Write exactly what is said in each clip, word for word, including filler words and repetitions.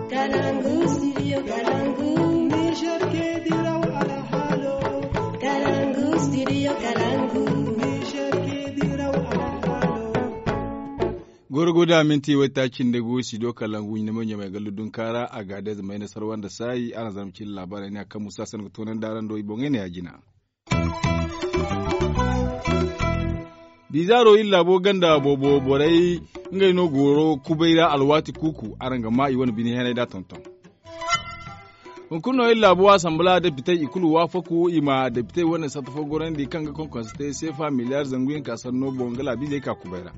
Kalangu, studio Kalangu. Niger ke diraw alhalo. Kalangu, studio Kalangu. Niger ke diraw alhalo. Goro go da minti wayta cinde go studio Kalangu ɲinamay ɲamay gallu dunkaara a ga da zama ina sarwa nda saayi araŋ zama cin labaarey ne a kaŋ musa san ga toonandi araŋ do i boŋey ne ya jina. Bizaaro iri laabo ganda boobo borey ngey no goro kubay ra alwaati kuuku araŋ ga maa i wane bine henay da tonton. Hunkuna no iri laabo asanbala depitey i kulu waafaku i ma depitey wane satta fo gorandi kaŋ ga konkonse te seefa miliyaar zangu yaŋ ka sanno boŋ ga laabiizey ka kubay ra.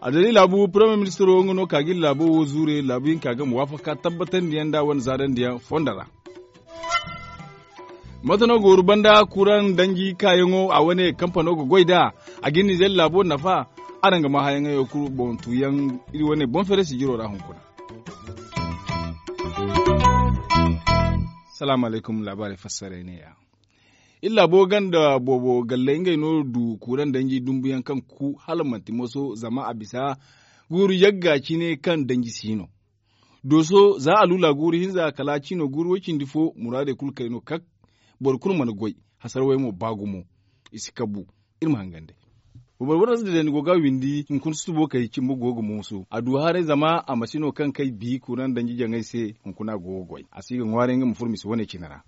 A dali laabu premier ministro nga no ka ga iri laabo wo zuure laabu yaŋ ka ga ma waafaka tabbatandiyaŋ da wane zaarandiyaŋ fondo ra. Mate no gooru banda kuraŋ danji kaayaŋo a wane kampano ga goy nd'a a ga iri nizeer laabo nafa. Araŋ ga maa hayaŋey wo kulu boŋ tuuyaŋ iri wane boŋ feere sijiro ra hunkuna. Salaamu alaykum laabaarey fassarey neeya. Iri laabo ganda boobo galley ngey no du kuraŋ danji dumbuyaŋ kaŋ ku hala manti moso zama a bisa guuru yagga cine kaŋ danji si no. Dooso za a lula guuru hinza kala cino guuru way-cindi fo muraadey kulu kay no kak. Boro kulu mana goy. Hasarawey mo ba gumo. I si kabu. Iri ma hangan day. Boro boro ra si dede ni go ga windi hunkuna susubo kay cimbo go ga mooso a du haray zama a ma si no kaŋ kay bi kuraŋ danji jaŋay se. Hunkuna go ga goy a si ga ŋwaaray nga ma furo misa wane cine ra.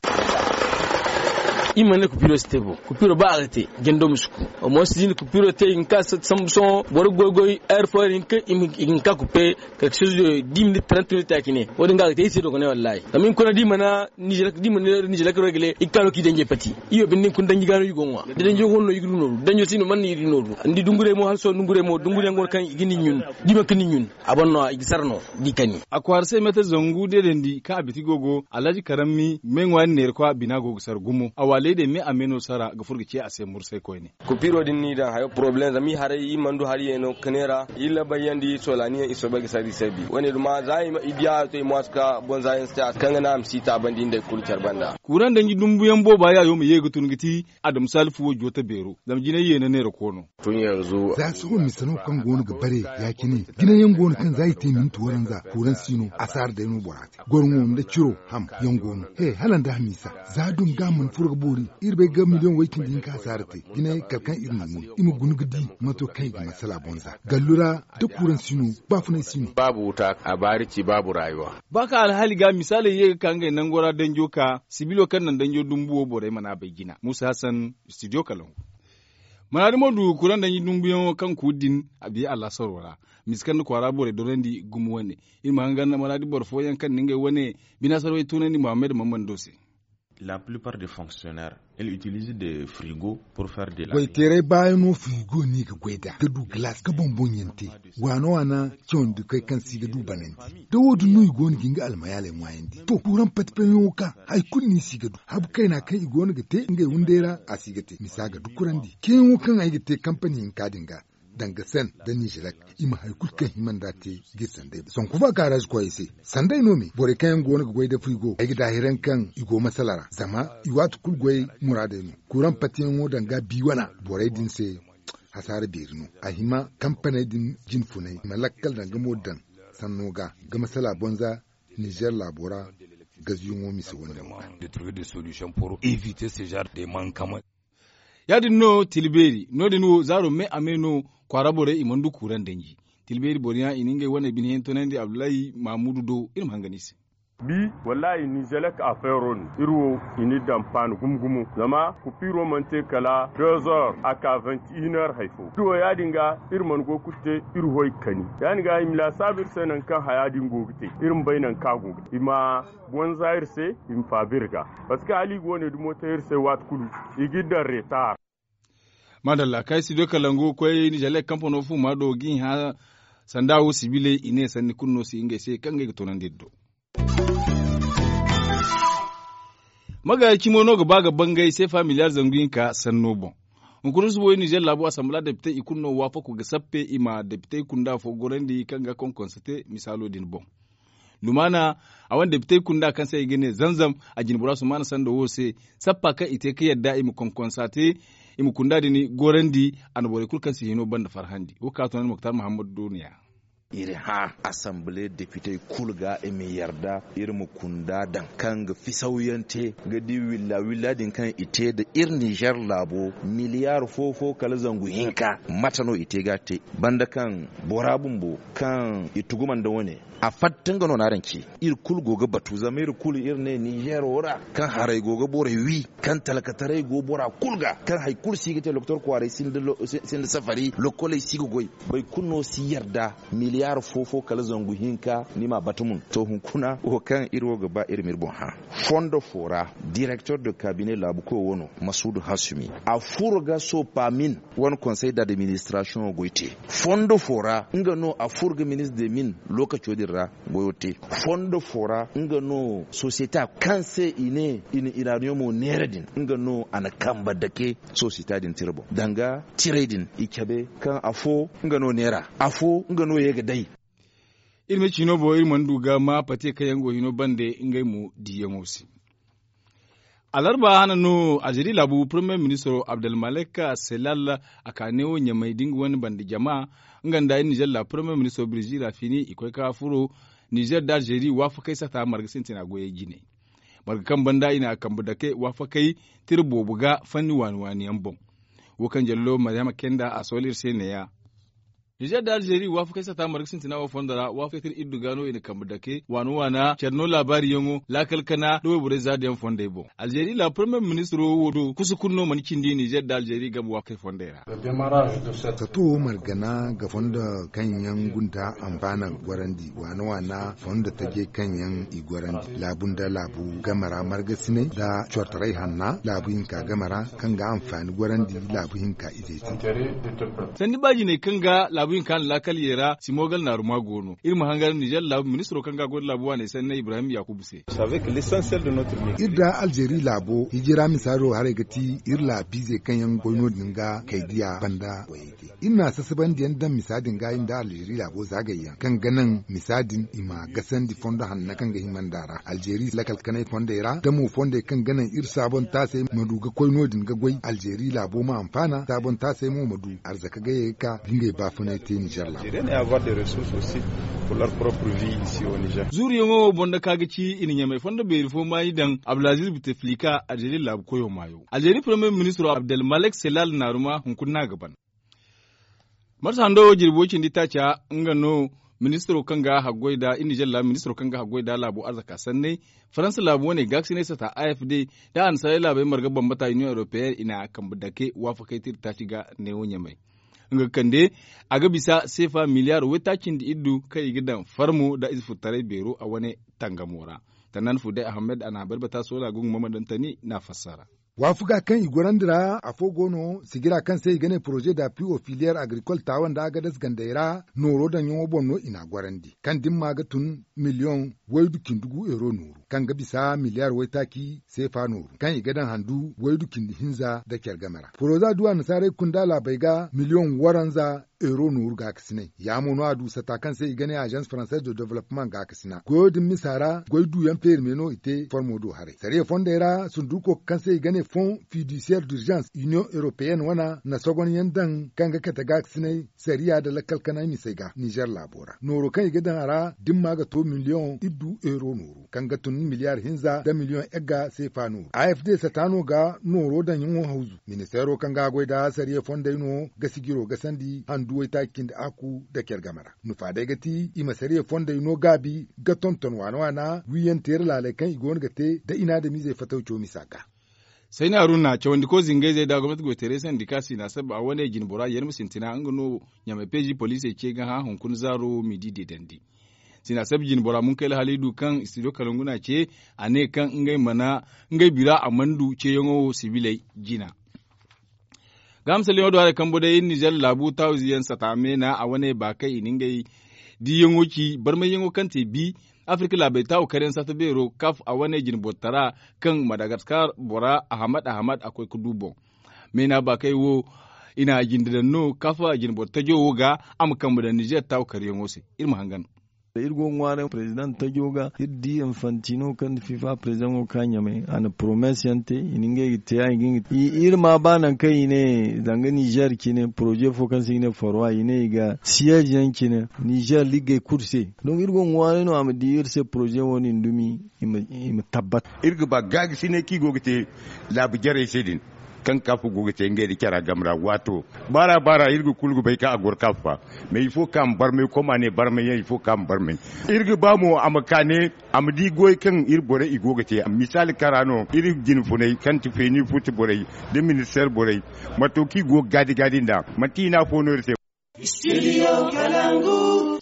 Iri mana ne kupiro si te bo kupiro ba a ga te. Jando ma si ku. Amma si di ni kupiro te i ga ka sambu sohõ boro goy goy heure fo i ga ka kupe. Quelque chose de dix minutes trente minutes ya cine wo- din ga a ga te iri se dogonay wallahi. Zama i ga kuna da i mana nizelek rogle i ga ka no ka i danjey pati. Iyo binde hunkuna danji ga no i go ŋwa da danjo go no i ga du nooru danjo si no mana no i ga du nooru. Ni di dungurey mo hala sohõ dungurey mo dunguriyaŋ go no kaŋ i ga ni ɲun. Da i mana ka ni ɲun a ban no i ga sara no. Da i kani. A kwaara se meetar zangu deedandi kaŋ a biti go go alhaji karammi me ŋwaari neera kwa bina go ga sara gumo a waaley day me a me no sara ga furo ga ce a se mursay koyne. Kupiro din ni daŋ hayo poroblem zama i haray i mana du hari yeeno ga neera. Iri labayyaŋ da i soolani yaŋ i soobay ga sara i se bi wo- ne duma za i diya to i mo a si ka boŋ za yaŋ si te a si kaŋ ga naŋ a ma si taabandi nda i kulu care banda. Kuuraŋ danji dumbuyaŋ booba yaayo ma ye ga tun ga ti adama salifu wo joote beero zama jinay yeena neera koono. Za sohõ mise no kaŋ go no ga bare ya- cine. Jinay yaŋ go no kaŋ za i te minti waranza kuuraŋ si no asaara day no bora te. Gorŋo nda ciro ham yaŋ go no he hala nda hamiisa. Za dunga mana furo ga boori iri bay ga miliyoŋ way-cindi hinka hasaara te. Jinay kala kaŋ iri na ŋun i ma guna ga di mato kaŋ i ga masala boŋ za gallu ra. Da kuuraŋ si no baafunay si no. Baabu wuta a baari ci baabu raayuwa. Ba kaŋ alhaali ga misaaley ye ga ka ngey nango ra danjo ka sibilo kaŋ naŋ danjo dumbu wo borey mana a bay jina muusa hasan. Studio kalaŋ. Manaadi mo du kuraŋ danji dumbuyaŋo kaŋ kuuri din a biya allaasaro ra. Misa kaŋ nda kwaara borey dorandi gumo wane. Iri ma hangan manaadi boro fooyaŋ kaŋ na ngey wane binaasarwey tunandi muhammad mammando se. La plupart de fonctionnaire il utilise de frigo. Pour faire de la goyteeray baayano frigo no i ga goy nd'a ga du galaas ga boŋ-boŋyaŋ te. Waana-waana cawandi koy kaŋ si ga du banandi da wo- din no i go no ga nga almayaaley ŋwaayandi to kuuraŋ pati-paniyaŋo ka hari kulu no i si ga du habu kayna kaŋ i go no ga te ngey wunday ra a si ga te misa ga dukurandi ceeyaŋo kaŋ ay ga te kampani hinka din ga. Danga sen da nizelek i ma hari kulu kaŋ hima nd'a te ga iri sanday sanku faakaraaz koyey se. Sanday no me borey kaŋ yaŋ go no ga goy da frigo ay ga daahiraŋ kaŋ i go masala ra zama i waati kulu goy muraadey no. Kuuraŋ patiyaŋo danga bi wana borey din se. Hasaara beeri no a hima kampaney din jine funay i ma lakkal danga mo daŋ sanno ga ga masala bonza. Nizer laabo ra gazuyaŋo mise wane wo ga. Ya- din no tilbeeri no- din wo zaaro me a me no kwaara borey i mana du kuuraŋ danji. Tilbeeri boro yaŋ i na ngey wane bine yaŋ toonandi abdullahi mahamudu do iri ma hangan i se. Bi wallahi nizelek afeero no iri wo i na iri daŋ paani gumo-gumo zama kupiiro mana te kala deux heures a ka vingt et une heures hari fo iri wo ya- din ga iri mana go ga kulu te iri hoy ga kani. Ya- din ga i ma laasaabu iri se nangu kaŋ haya din go ga te iri ma bay nangu kaŋ a go ga te i ma bonza iri se i ma faabi iri ga. Parceque hala i go no i dumo te iri se waati kulu i ga iri daŋ reetaar. Maadalla kaŋ ay si du kalangu koy nizelek kampano fuuma do ga i hã sanda wo sibiley i ne sanni kulu no si ngey se kaŋ ngey ga toonandi iri do. Magaayi cimo no ga ba ga bangay seefa miliyaar zangu hinka sanno boŋ. Hunkuna subo nizer laabo asanbala depitey i kulu no waafaku ga sappe i ma depitey kunda fo gorandi kaŋ ga konkonse te misaalo din boŋ. Lumaana a wane depitey kunda kaŋ se i ga ne zanzam a jinbora sumaana sanda wo se. Sappa kaŋ i te ga yadda i ma konkonsa te i ma kunda din gorandi. A na borey kulu kaŋ si hino banda farhandi wo ga ka toonandi moktar mahammadu duuniya. Iri hã asanbile depitey kulu ga i ma yarda iri ma kunda daŋ kaŋ ga fisawyante ga di willa willa din kaŋ i te nda iri nizer laabo miliyaari fo fo kala zangu hinka. Mate no i te ga a te banda kaŋ bora bumbo kaŋ i tuguma nda wane a fatta nga no no araŋ ci. Iri kulu go ga batu zama iri kulu iri ne nizeero ra kaŋ haray go ga borey wi, kaŋ talkataray go bora kulu ga, kaŋ hari kulu si ga te doktor kwaaray sinda safari lokoley si ga goy. Boro kulu no si yarda miliyaari fo fo kala zangu hinka ni m'a batu mun to hunkuna wo kaŋ iri wo ga ba iri ma iri boŋ hã. Fondo fo ra direkter de kabine laabu koy wo no masuudu hasumi a furo ga sopa min wane konsey d'administrasiyoŋo goy te. Fondo fo ra nga no a furo ga ministre de min lookaco din ra goyo te. Fondo fo ra nga no sosiyete kaŋ se i ne i na iraaniyomo neera din nga no a na kambe dake sosiyete din tira boŋ danga tirey din i cabe kaŋ afo nga no neera afo nga no ye ga day. Iri ma ciino boŋ iri mana du ga ma pate kaŋ yaŋ go hino bande ngey mo diiyaŋo se. Alarba hana no alzeeri laabu parmiye ministiro abdelmalek selal a ka neewo ɲamey da nga wane bande jama nga nda iri nizer laabu parmiye ministiro birzi rafini i koy ka furo nizer nda alzeeri waafakey sata marga sintina goyey jine. Marga kaŋ banda i na a kambe dake waafakey tira boobo ga fanni waani waani yaŋ boŋ. Wo kaŋ jallo maryama kenda a sohõ iri se neeya. Nizer nda alzeeri waafakey sata marga sintina wo fondo ra waafakey tira iddu ga no i na kambe dake waana waana care no laabaari yaŋo laakal kana nda wayborey zaada yaŋ fondey boŋ. Alzeeri laabu parmiye ministiro wo do kusa kulu no mana cindi nizer nda alzeeri game waafakey fondey ra. Sato wo margana ga fondo kaŋ yaŋ gunda anfaana gorandi waana waana fondo taje kaŋ yaŋ i gorandi laabu nda laabu game ra margasinay nda cortaray hanna laabu hinka game ra kaŋ ga anfaani gorandi laabu hinka izey se. Sandi baajiney kaŋ ga laabu hinka na laakal ye ra simogal naaruma go no iri ma hangar nizer laabu ministiro kaŋ ga a goy nda laabu waaney sanney ibrahim yakubu se. Iri da alzeeri laabo hijira misaado haray ga ti iri laabiizey kaŋ yaŋ goy no- din ga kaydiya banda wayey te. Iri na sasabandiyaŋ daŋ misa din ga iri nda alzeeri laabo zaagayyaŋ kaŋ ga naŋ misa din i ma gasandi fondo hanna kaŋ ga hima nd'a ra alzeeri lakal kanay fondey ra da mo fondey kaŋ ga naŋ iri saabontaasey ma du ga koy no- din ga goy alzeeri laabo ma anfaana saabontaasey mo ma du arzaka gayey ga ka ga ngey baafunay te nizer laabo. Zuuruyaŋo wo boŋ da ka ga ci i na ɲamey fondo beeri fo maayi daŋ abdulaziz buteflika alzeeri laabu koyo maayo alzeeri parmiye ministiro abdelmalek selal naaruma hunkuna no a ga ban. Marsa hando jirbi way cindi taaca nga no ministiro kaŋ ga haggoy nda iri nizer laabu ministiro kaŋ ga haggoy nda laabo arzaka sanney faransa laabu wane gaakasinay sata afd nda annasaarey laabey marga bambata union europeenne i na a kambe dake waafakey tira taaci ga neewo ɲamey. Nga ga kande a ga bisa seefa miliyaar waytaaci nda iddu kaŋ i ga daŋ farmo nda ize furtaray beero a wane tangamo ra. Tannan fuday ahamed a na a barbata soola gungu mama daŋ tani n'a fassara. Waafaga kaŋ i gorandi ra afo go no sigira kaŋ se i ga ne poroze da pi ofiliyeer agrikol taawa nda agadas gandey ra nooro daŋyaŋo boŋ no i n'a gorandi kaŋ dimma ga tun miliyoŋ waydu cindi gu euro nooru kaŋ ga bisa miliyaar waytaaci seefa nooru kaŋ i ga daŋ handu waydu cindi hinza nda care game ra poroza du annasaarey kunda laabey ga miliyoŋ waranza euro nooru gaakasinay ya mo no a du sata kaŋ se i ga ne agence française de développement gaakasina goyo din misa ra goy duyaŋ feeri me no i te formo do haray sariya fondey ra sunduko kaŋ se i ga ne fond fiduciaire d'urgence union européenne wana na sogonyaŋ daŋ kaŋ ga kate gaakasinay sariya nda lakkal kanay misey ga nizer laabo ra nooro kaŋ i ga daŋ a ra dimma ga to miliyoŋ iddu euro nooru kaŋ ga tun miliyaar hinza nda miliyoŋ egga seefa nooru afd sata no ga nooro daŋyaŋo hawzu ministeero kaŋ ga a goy nda sariya fondey no ga sijiro gasandi handu waytaaci cindi aku nda care game ra nufa day ga ti i ma sariya fondey no gaabi ga tonton waana waana wiiyaŋ teera laaley kaŋ i go no ga te nda i na adamiizey fatawco misa ga. Sayna haruna cawandiko zingayzey nda gomnati goytaray sandika sina sabba a wane jine bora yarma sintina nga no ɲamay peezi poliisey ce ga hã hunkuna zaaro midi deedandi. Sina sabba jine bora munkayla haliidu kaŋ studio kalangu n'a ce a ne kaŋ ngey mana ngey bira a mana du ceeyaŋo wo sibiley jina. Ga misalyaŋo do haray kambo day nizer laabu taawize yaŋ sata meena a wane baakay i na ngey diiyaŋo ci barmayyaŋo kaŋ te bi afirka laabey taawu karyaŋ sata beero kaf a wane jine bortara kaŋ madagaskar bora ahamad ahamad a koy ga du boŋ. Meena baakay wo i na a jinde daŋ no kaf jine boro tajo wo ga a ma kambe daŋ nizer taawu karyaŋo se. Iri ma hangan. Iri go ga ŋwaaray president tajo ga iri di infantino kaŋ fifa president go ga ka ɲamay a na promesse yaŋ te i na ngey ga te ya i ga nga te. Iri ma ba nangu kaŋ i ne zanga nizer cine proze fo kaŋ se i ga ne forwa i ne i ga siyaz yaŋ cine nizer liggey kulu se. Donk iri go ga ŋwaaray no a ma di iri se proze wo- din dumi i ma tabbat. Iri ga ba gaagasinay kaŋ i go ga te laabu jarey se din kaŋ kaafu go ga te ngey nda care game ra waato baara baara iri ga kulu ga bay kaŋ a goro kaafu fa. Mais ifo kaŋ a ma barmay koma ne barmay yaŋ ifo kaŋ a ma barmay. Iri ga ba mo a ma ka ne a ma di goy kaŋ iri borey i go ga te misaali kara no iri jinfunay kaŋ ti feeni futi borey nda ministeer borey mato kaŋ i go ga gaadi gaadi nd'a manti hina fo no iri se.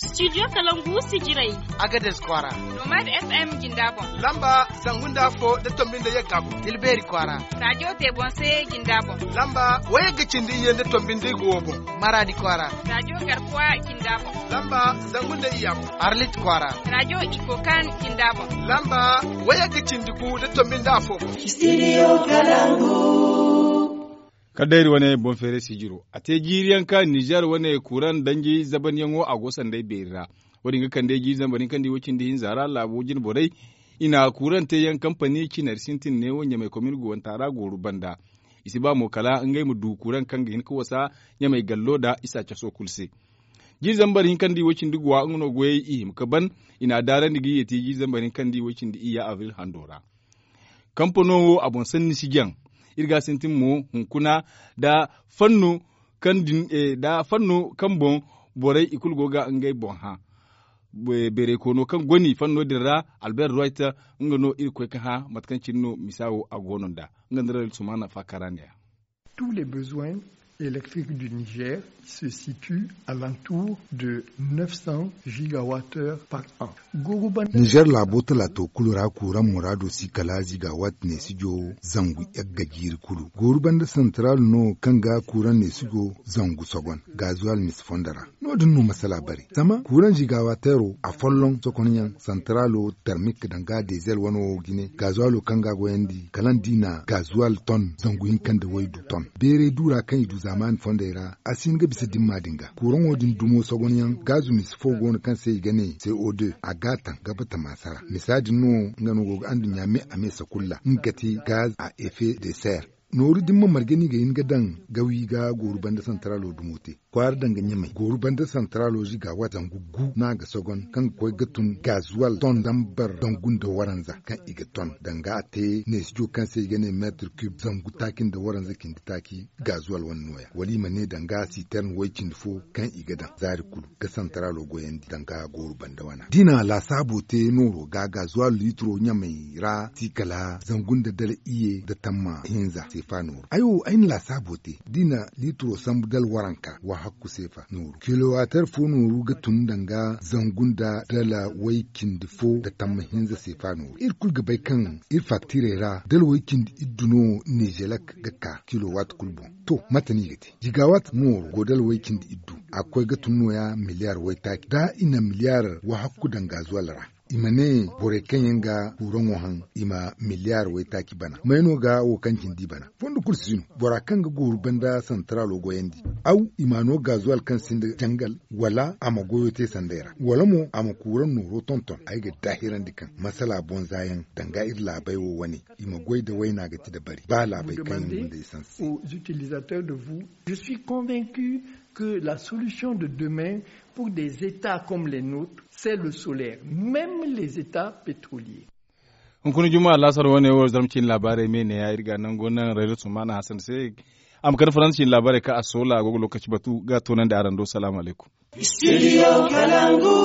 Studio kalangu sijirey. Agades kwaara. Nomad fm jinda boŋ. Lamba zangu nda afo nda tombi nda yagga boŋ tilbeeri kwaara. Rajo te boŋ se jinda boŋ. Lamba wayagga cindi iyye nda tombi nda igo wo boŋ. Maradi kwaara. Rajo garkuwa jinda boŋ. Lamba zangu nda iyya boŋ. Arlit kwaara. Rajo iko kan jinda boŋ. Lamba wayagga cindi gu nda tombi nda afo boŋ. Studio kalangu. Kala day iri wane boŋ feeray sijiro a te jiiri yaŋ ka nizer wane kuran danji zabanyaŋo a go sanday beeri ra. Wo- din ga kande jiiri zambar hinka nda i wo cindi hinza ra laabo jine borey i na kuran te yaŋ kampani cinari sintin neewo ɲamay komin guwanta ra gooru banda. I si ba mo kala ngey ma du kuran kaŋ ga hin ka wasa ɲamay gallo nda isa caso kulu se. Jiiri zambar hinka nda i wo cindi guwa nga no goyey i hima ka ban. I na a daarandi ga i ye te jiiri zambar hinka nda i wo cindi iyya abril hando ra. Kampano wo a boŋ sanni si jaŋ. Iri ga a sintin mo hunkuna nda fanno kaŋ din nda fanno kaŋ boŋ borey i kulu go ga ngey boŋ hã. Beeray koono kaŋ goni fanno din ra albert royter nga no iri koy ga hã mate kaŋ cine no misa wo a go no nd'a. Nga nda rayil sumana faakara ne-ya. Tous les besoins électriques du niger se situe à l'entour de neuf cents gigawattheures par an. Nizer laabo talaato kulu ra kuuraŋ muraado si kala zigawat neesijo zangu yagga jiiri kulu gooru banda santaral no kaŋ ga kuuraŋ neesijo zangu sogon gazuwal misi fondo ra. No- din no masala bare zama kuuraŋ zigawatteero afolloŋ sokonyaŋ santaralo termik danga dezel wano wo jine gazuwalo kaŋ ga a goyandi kala nda i na gazuwal ton zangu hinka nda waydu ton beeray du ra kaŋ i du zaamaani fondey ra a si hin ga bisa dimma din ga kuuraŋo din dumo sogonyaŋ gaazu misi fo go no kaŋ se i ga ne co deux a ga a taŋ gaba tamaasa ra misa din no nga no go ga anduɲɲa me a me sakulla nga ga te gaz a effet de serre. Nooru din ma marje no i ga hin ga daŋ gawi ga gooru banda santaralo dumo te kwaara danga ɲamay gooru banda santaralo ziga wata zangu gu no a ga sogon kaŋ ga koy ga tun gazuwal ton zambar zangu nda waranza kaŋ i ga ton danga a te neesijo kaŋ se i ga ne meetir kub zangu taaci nda waranza cindi taaci gazuwal wane nooya wala i ma ne danga sitern way cindi fo kaŋ i ga daŋ zaari kulu ga santaralo goyandi danga gooru banda wana da i na laasaabo te nooro ga gazuwal liitiro ɲamay ra si kala zangu nda dala iyye nda tamma hinza seefa nooru ay wo ay na laasaabo te da i na liitiro sambu dala waranka wa hakku seefa nooru kilowater fo nooru ga tun danga zangu nda dala way cindi fo nda tamma hinza seefa nooru iri kulu ga bay kaŋ iri faktirey ra dala way cindi iddu no nizelek ga ka kilowat kulu boŋ. To mate no i ga te jigawat mooro go dala way cindi iddu a ga koy ga tun nooya miliyar waytaaci da i na miliyar wahakku daŋ gazuwal ra i ma ne borey kaŋ yaŋ ga kuuraŋo haŋ i ma miliyar waytaaci bana may no ga wo kaŋ cindi bana fondo kulu si no bora kaŋ ga gooru banda santaralo goyandi aw i ma no gazuwal kaŋ sinda jangal wala a ma goyo te sanday ra wala mo a ma kuuraŋ nooro tonton ay ga daahirandi kaŋ masala boŋ za yaŋ danga iri laabey wo wane i ma goy da wayna ga ti dabari ba laabey kaŋ yaŋ gunda essence se. Aux utilisateurs de vous je suis convaincu que la solution de demain pour des etats comme les nôtres c'est le solaire même les etats pétroliers. Hunkuna juma laasar wane wo zarma ciine laabaarey me ne ya iri ga nango naŋ rayra sumana hasan se a ma kande faransa ciine laabaarey kaŋ a soola a go ga lokaci batu ga a toonandi araŋ do salaamu alaykum. Studio kalangu.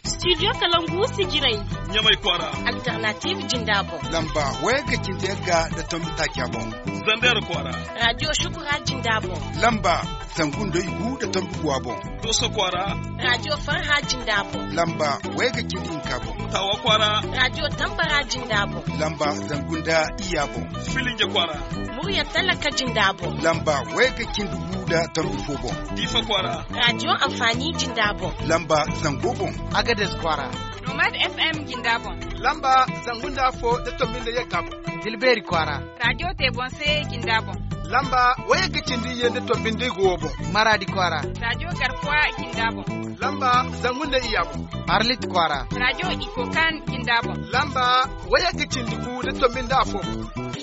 Studio kalangu sijirey. Ɲamay kwaara. Alternative jinda boŋ. Lamba wayagga cindi yagga nda tombi taaca boŋ. Zandera kwaara. Radio shukura jinda boŋ. Lamba zangu nda igu nda tombi guwa boŋ. Dooso kwaara. Radio farha jinda boŋ. Lamba wayagga cindi hinka boŋ. Tawa kwaara. Radio tambara jinda boŋ. Lamba zangu nda iyya boŋ. Filinje kwaara. Murya talaka jinda boŋ. Lamba wayagga cindi gu nda tombi fo boŋ. Diifa kwaara. Radio anfaani jinda boŋ. Lamba zango boŋ. Agades kwaara. Nomad fm jinda boŋ. Lamba zangu nda afo nda tombi nda yagga boŋ. Tilbeeri kwaara. Radio te boŋ se jinda boŋ. Lamba wayagga cindi iyye nda tombi nda igu wo boŋ. Maradi kwaara. Rajo garkuwa jinda boŋ. Lamba zangu nda iyya boŋ. Arlit kwaara. Rajo ikokan jinda boŋ. Lamba wayagga cindi gu nda tombi nda afo boŋ.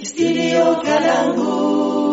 Studio Kalangu.